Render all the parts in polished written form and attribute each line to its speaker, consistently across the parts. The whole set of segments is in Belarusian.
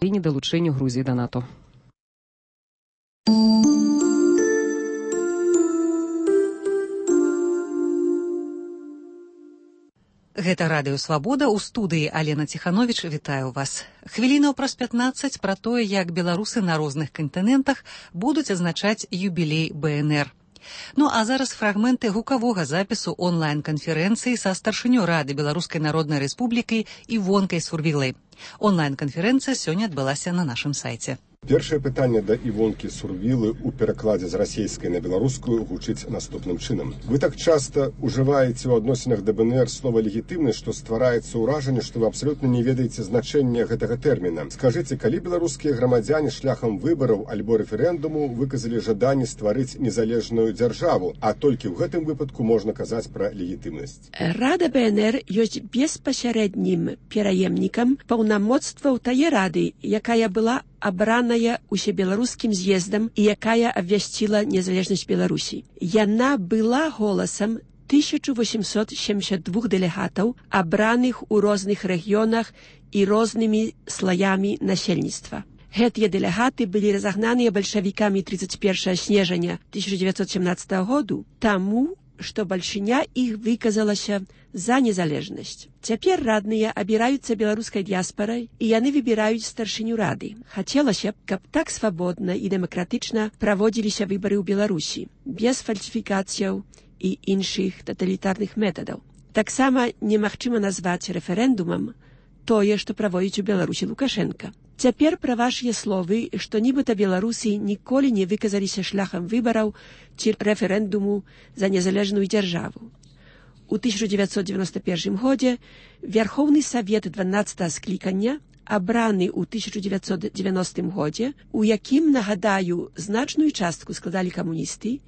Speaker 1: і недалучэнню Грузіі да НАТО.
Speaker 2: Гэта радыё «Свабода», у студыі Алена Ціхановіч, вітаю вас. Хвілінаў праз 15 пра тое, як беларусы на розных кантынентах будуць адзначаць юбілей БНР. Ну а зараз фрагменты гукавога запісу онлайн-канферэнцыі са старшынёй Рады Беларускай Народнай Рэспублікі Івонкай Сурвілай. Онлайн-канферэнцыя сёння адбылася на нашым сайце.
Speaker 3: Першае пытанне да Івонкі Сурвілы ў перакладзе з расейскай на беларускую гучыць наступным чынам. Вы так часта ўжываеце ў адносінах да БНР слова «легітымны», што ствараецца ўражанне, што вы абсалютна не ведаеце значэння гэтага тэрміна. Скажыце, калі беларускія грамадзяне шляхам выбараў альбо рэферэндуму выказалі жаданне стварыць незалежную дзяржаву, а толькі ў гэтым выпадку можна казаць пра легітымнасць?
Speaker 4: Рада БНР ёсць беспасярэднім пераемнікам паўнамоцтваў тае рады, якая была абраная усебеларускім з'ездам і якая абвясціла незалежнасць Беларусі. Яна была голасам 1872 дэлегатаў, абраных у розных рэгіёнах і рознымі слаямі насельніцтва. Гэтыя дэлегаты былі разагнаныя бальшавікамі 31 снежня 1917 году, таму, што бальшыня іх выказалася за незалежнасць. Цяпер радныя абіраюцца беларускай дыяспарай, і яны выбіраюць старшыню рады. Хацелася б, каб так свабодна і дэмакратычна праводзіліся выбары ў Беларусі, без фальсіфікацыяў і іншых таталітарных метадаў. Таксама немагчыма назваць рэферэндумам тое, што праводзіць у Беларусі Лукашенка. Цяпер пра вашыя словы, што нібыта беларусы ніколі не выказаліся шляхам выбараў ці рэферэндуму за незалежную дзяржаву. У 1991 годзе Верховны Савет 12 склікання, абраны ў 1990 годзе, у якім, нагадаю, значную частку складалі камуністы,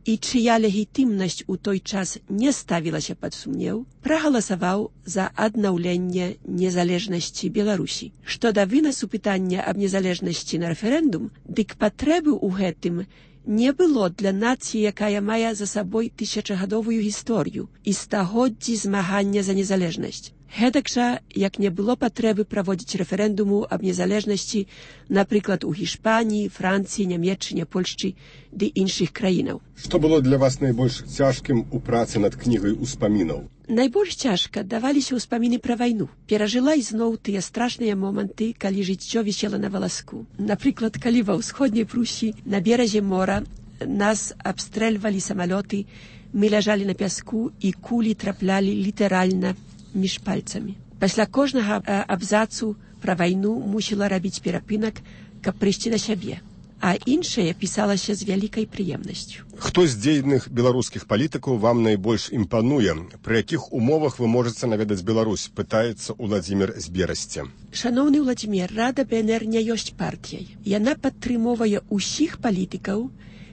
Speaker 4: і чыя легітымнасць у той час не ставілася пад сумнеў, прагаласаваў за аднаўленне незалежнасці Беларусі. Што да вынасу пытання аб незалежнасці на рэферэндум, дык патрэбы ў гэтым не было для нацыі, якая мае за сабой тысячагадовую гісторыю і стагоддзі змагання за незалежнасць. Гэтак жа, як не было патрэбы праводзіць рэферэндуму аб незалежнасці, напрыклад, у Гішпаніі, Францыі, Нямецчыне, Польшчы ды іншых краінаў.
Speaker 3: Што было для вас найбольш цяжкім у працы над кнігай успамінаў?
Speaker 4: Найбольш цяжка даваліся ўспаміны пра вайну. Перажыла ізноў тыя страшныя моманты, калі жыццё вісела на валаску. Напрыклад, калі ва ўсходняй Прусі на беразе мора нас абстрэльвалі самалёты, мы ляжалі на пяску і кулі траплялі літаральна між пальцамі. Пасля кожнага абзацу пра вайну мусіла рабіць перапынак, каб прыйсці да сябе, а іншае пісалася з вялікай прыемнасцю.
Speaker 3: Хто з дзейных беларускіх палітыкаў вам найбольш імпануе? Пры якіх умовах вы можаце наведаць Беларусь? Пытаецца Уладзімір з Берасці.
Speaker 4: Шаноўны Уладзімір, Рада БНР не ёсць партыяй. Яна падтрымоўвае ўсіх палітыкаў,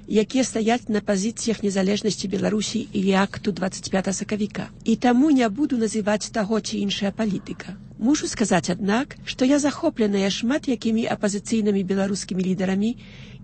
Speaker 4: якія стаяць на пазіцыях незалежнасці Беларусі і акту 25 сакавіка. І таму не буду называць таго ці іншая палітыка. Мушу сказаць, аднак, што я захопленая шмат якімі апазіцыйнымі беларускімі лідарамі,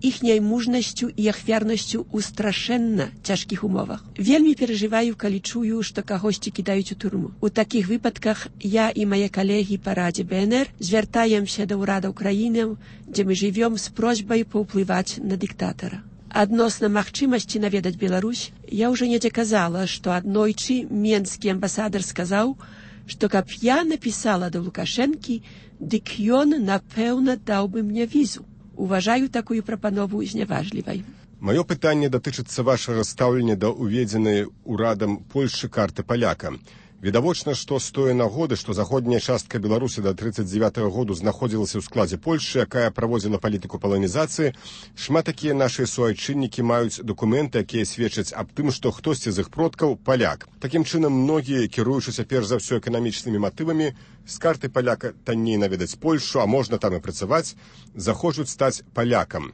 Speaker 4: іхняй мужнасцю і ахвярнасцю ў страшэнна цяжкіх умовах. Вельмі перажываю, калі чую, што кагосьці кідаюць у турму. У такіх выпадках я і мае калегі па Радзе БНР звяртаемся да ўрадаў краінаў, дзе мы жывём, з просьбай паўплываць на дыктатара. Адносна магчымасці наведаць Беларусь, я ўжо недзе казала, што аднойчы менскі амбасадар сказаў, што каб я напісала да Лукашэнкі, дык ён, напэўна, даў бы мне візу. Уважаю такую прапанову зняважлівай.
Speaker 3: Маё пытанне датычыцца вашага стаўлення да ўведзенай урадам Польшчы карты паляка. Відавочна, што з тое нагоды, што заходняя частка Беларусі да 1939 году знаходзілася ў складзе Польшчы, якая праводзіла палітыку паланізацыі, шмат такія нашыя суайчыннікі маюць дакументы, якія сведчаць аб тым, што хтосьці з іх продкаў паляк. Такім чынам, многія, кіруючыся перш за ўсё эканамічнымі матывамі, з карты паляка танней наведаць Польшчу, а можна там і працаваць, захочуць стаць палякам.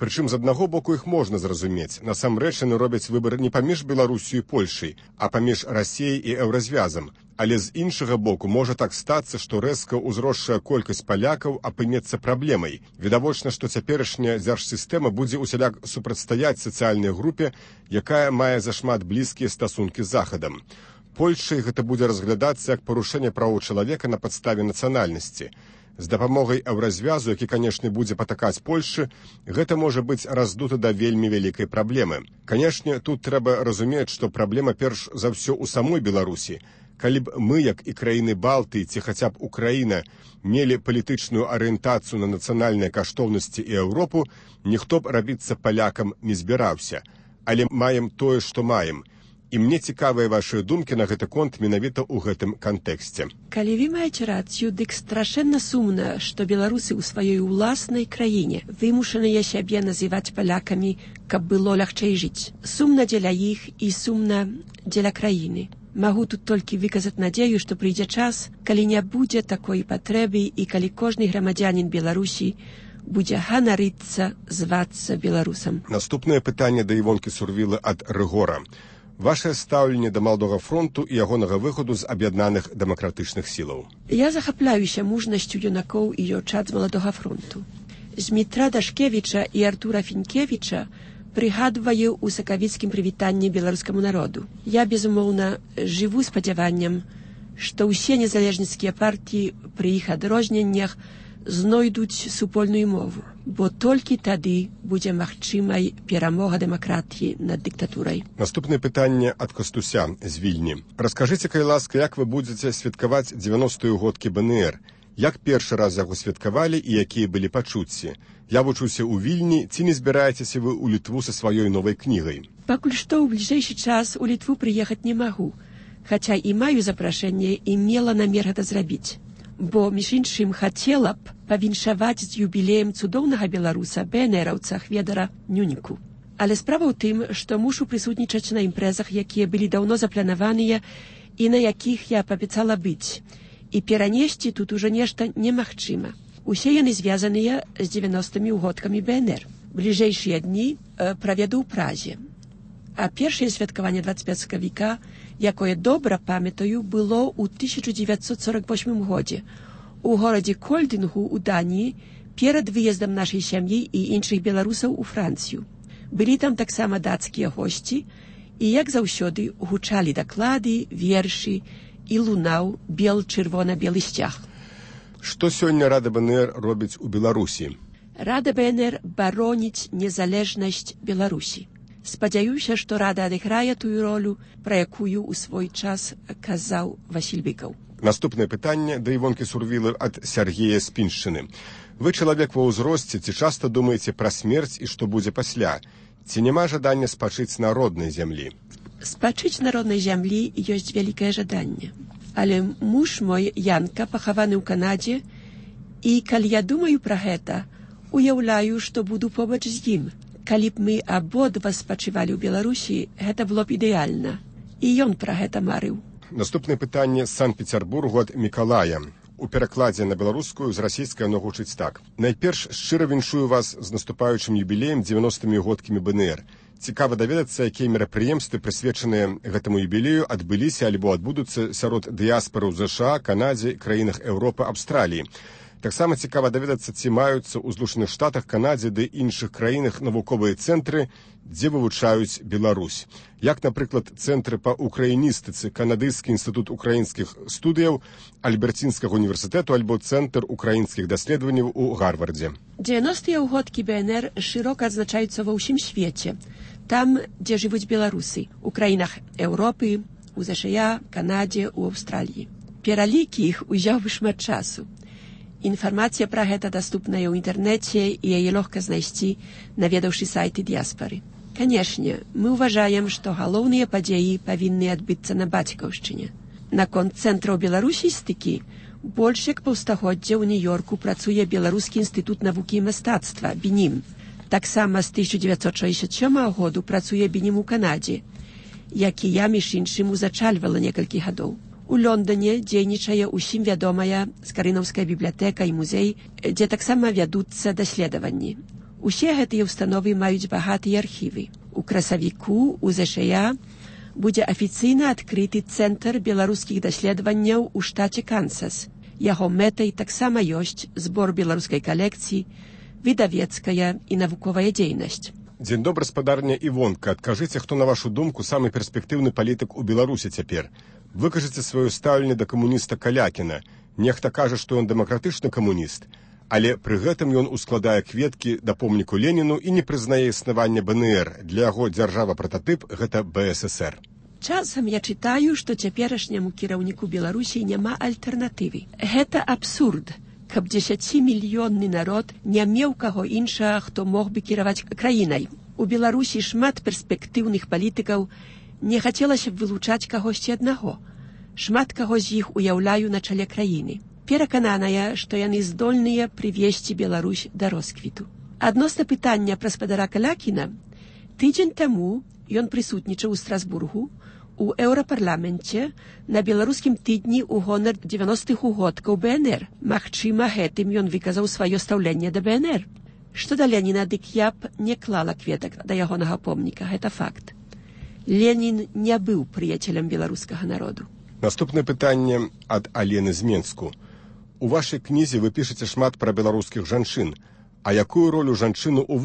Speaker 3: Прычым, з аднаго боку, іх можна зразумець. Насамрэч, яны робяць выбар не паміж Беларусю і Польшай, а паміж Расіяй і Еўразвязам. Але з іншага боку, можа так стацца, што рэзка ўзросшая колькасць палякаў апынецца праблемай. Відавочна, што цяперашняя дзяржсістэма будзе усяляк супрацьстаяць сацыяльнай групе, якая мае зашмат блізкія стасункі з Захадам. Польшай гэта будзе разглядацца як парушэнне правоў чалавека на падставе нацыянальнасці. З дапамогай еўразвязу, які, канешне, будзе патакаць Польшчы, гэта можа быць раздута да вельмі вялікай праблемы. Канешне, тут трэба разумець, што праблема перш за ўсё ў самой Беларусі. Калі б мы, як і краіны Балтыі, ці хаця б Украіна, мелі палітычную арыентацыю на нацыянальныя каштоўнасці і Еўропу, ніхто б рабіцца палякам не збіраўся. Але маем тое, што маем. І мне цікавыя вашыя думкі на гэты конт менавіта ў гэтым кантэксце.
Speaker 4: Калі вы маеце рацыю, дык страшэнна сумна, што беларусы ў сваёй уласнай краіне вымушаныя сябе называць палякамі, каб было лягчэй жыць. Сумна дзеля іх і сумна дзеля краіны. Магу тут толькі выказаць надзею, што прыйдзе час, калі не будзе такой патрэбы і калі кожны грамадзянін Беларусі будзе ганарыцца звацца беларусам.
Speaker 3: Наступнае пытанне да Івонкі Сурвілы ад Рыгора. Вашае стаўленне да Малдога фронту і ягонага выхаду з аб'яднаных дэмакратычных сілаў.
Speaker 4: Я захапляюся мужнасцю юнакоў і дзяўчат з Маладога фронту. Змітра Дашкевіча і Артура Фінкевіча прыгадваю ў сакавіцкім прывітанні беларускаму народу. Я, безумоўна, жыву спадзяваннем, што ўсе незалежніцкія партіі пры іх адрозненнях знойдуць супольную мову, бо толькі тады будзе магчымай перамога дэмакратіі над дыктатурай.
Speaker 3: Наступнае пытанне ад Кастуся з Вільні. Раскажыце, калі ласка, як вы будзеце святкаваць 90-ю годкі БНР? Як першы раз яго святкавалі і якія былі пачуцці? Я вучуся ў Вільні, ці не збіраецеся вы ў Літву са сваёй новай кнігай?
Speaker 4: Пакуль што ў бліжэйшы час у Літву прыехаць не магу, хаця і маю запрашэнне і мела намер гэта зрабіць. Бо, між іншым, хацела б павіншаваць з юбілеем цудоўнага беларуса БНРаўца Хведара Нюніку. Але справа ў тым, што мушу прысутнічаць на імпрэзах, якія былі даўно запланаваныя і на якіх я паабяцала быць. І перанесці тут ужо нешта немагчыма. Усе яны звязаныя з 90-мі ўгодкамі БНР. Бліжэйшыя дні праведу ў Празе. А першае святкаванне 25 сакавіка, якое добра памятаю, было ў 1948 годзе у горадзе Кольдынгу ў Даніі перад выездам нашай сям'і і іншых беларусаў у Францыю. Былі там таксама дацкія госці і, як заўсёды, гучалі даклады, вершы і лунаў бел-чырвона-белы сцяг.
Speaker 3: Што сёння Рада БНР робіць у Беларусі?
Speaker 4: Рада БНР бароніць незалежнасць Беларусі. Спадзяюся, што Рада адыграе тую ролю, пра якую ў свой час казаў Васіль Быкаў.
Speaker 3: Наступнае пытанне да Івонкі Сурвілы ад Сяргея з Піншчыны. Вы чалавек ва ўзросце, ці часта думаеце пра смерць і што будзе пасля? Ці няма жадання спачыць на роднай зямлі?
Speaker 4: Спачыць на роднай зямлі ёсць вялікае жаданне. Але муж мой, Янка, пахаваны ў Канадзе, і калі я думаю пра гэта, уяўляю, што буду побач з ім. Калі б мы абодва спачывалі ў Беларусі, гэта было б ідэальна. І ён пра гэта марыў.
Speaker 3: Наступнае пытанне з Санкт-Пецярбургу ад Мікалая. У перакладзе на беларускую з расійскай оно гучыць так. Найперш шчыра віншую вас з наступаючым юбілеем 90-мі годкамі БНР. Цікава даведацца, якія мерапрыемствы, прысвечаныя гэтаму юбілею, адбыліся альбо адбудуцца сярод дыяспары ў ЗША, Канадзе, краінах Еўропы, Аўстраліі. Таксама цікава даведацца, ці маюцца ў Злучаных Штатах, Канадзе ды іншых краінах навуковыя цэнтры, дзе вывучаюць Беларусь. Як, напрыклад, цэнтры па украіністыцы, Канадыйскі інстытут украінскіх студыяў, Альберцінскага універсітэту альбо Цэнтр украінскіх даследаванняў у Гарвардзе.
Speaker 4: 90-е ўгодкі БНР шырока адзначаюцца ва ўсім свеце. Там, дзе жывуць беларусы, у краінах Еўропы, у ЗША, Канадзе, у Аўстраліі. Пералік іх узяў бы шмат часу. Інфармацыя пра гэта даступная ў інтэрнэце і яе лёгка знайсці, наведаўшы сайты дыяспары. Канешне, мы ўважаем, што галоўныя падзеі павінны адбыцца на бацькаўшчыне. Наконт цэнтраў беларусістыкі, больш як паўстагоддзя ў Нью-Йорку працуе Беларускі інстытут навукі і мастацтва, БІНІМ. Таксама з 1967 году працуе БІНІМ у Канадзе, які я, між іншым, узачальвала некалькі гадоў. У Лондоне дзейнічае ўсім вядомая Скарынаўская бібліятэка і музей, дзе таксама вядуцца даследаванні. Усе гэтыя ўстановы маюць багатыя архівы. У красавіку у ЗША будзе афіцыйна адкрыты цэнтр беларускіх даследаванняў у штаце Кансас. Яго мэтай таксама ёсць збор беларускай калекцыі, выдавецкая і навуковая дзейнасць.
Speaker 3: Дзень добры, спадарня Івонка. Адкажыце, хто, на вашу думку, самы перспектыўны палітык у Беларусі цяпер? Выкажыце сваё стаўленне да камуніста Калякіна. Нехта кажа, што ён дэмакратычны камуніст, але пры гэтым ён ускладае кветкі да помніку Леніну і не прызнае існавання БНР. Для яго дзяржава-прататып гэта БССР.
Speaker 4: Часам я чытаю, што цяперашняму кіраўніку Беларусі няма альтэрнатывы. Гэта абсурд, каб 10-мільённы народ не меў каго іншага, хто мог бы кіраваць краінай. У Беларусі шмат перспектыўных палітыкаў, не хацелася б вылучаць кагосьці аднаго. Шмат каго з іх уяўляю на чале краіны. Перакананая, што яны здольныя прывесці Беларусь да росквіту. Адносна пытання пра спадара Калякіна, тыдзень таму ён прысутнічаў у Страсбургу у Еўрапарламенце на беларускім тыдні ў гонар 90-х угодкаў БНР. Магчыма, гэтым ён выказаў сваё стаўленне да БНР. Што да Леніна, дык я б не клала кветак да ягонага помніка, гэта факт. Ленін не быў прыяцелем беларускага народу.
Speaker 3: Наступнае пытанне ад Алены з Менску. У вашай кнізе вы пішаце шмат пра беларускіх жанчын. А якую ролю жанчыну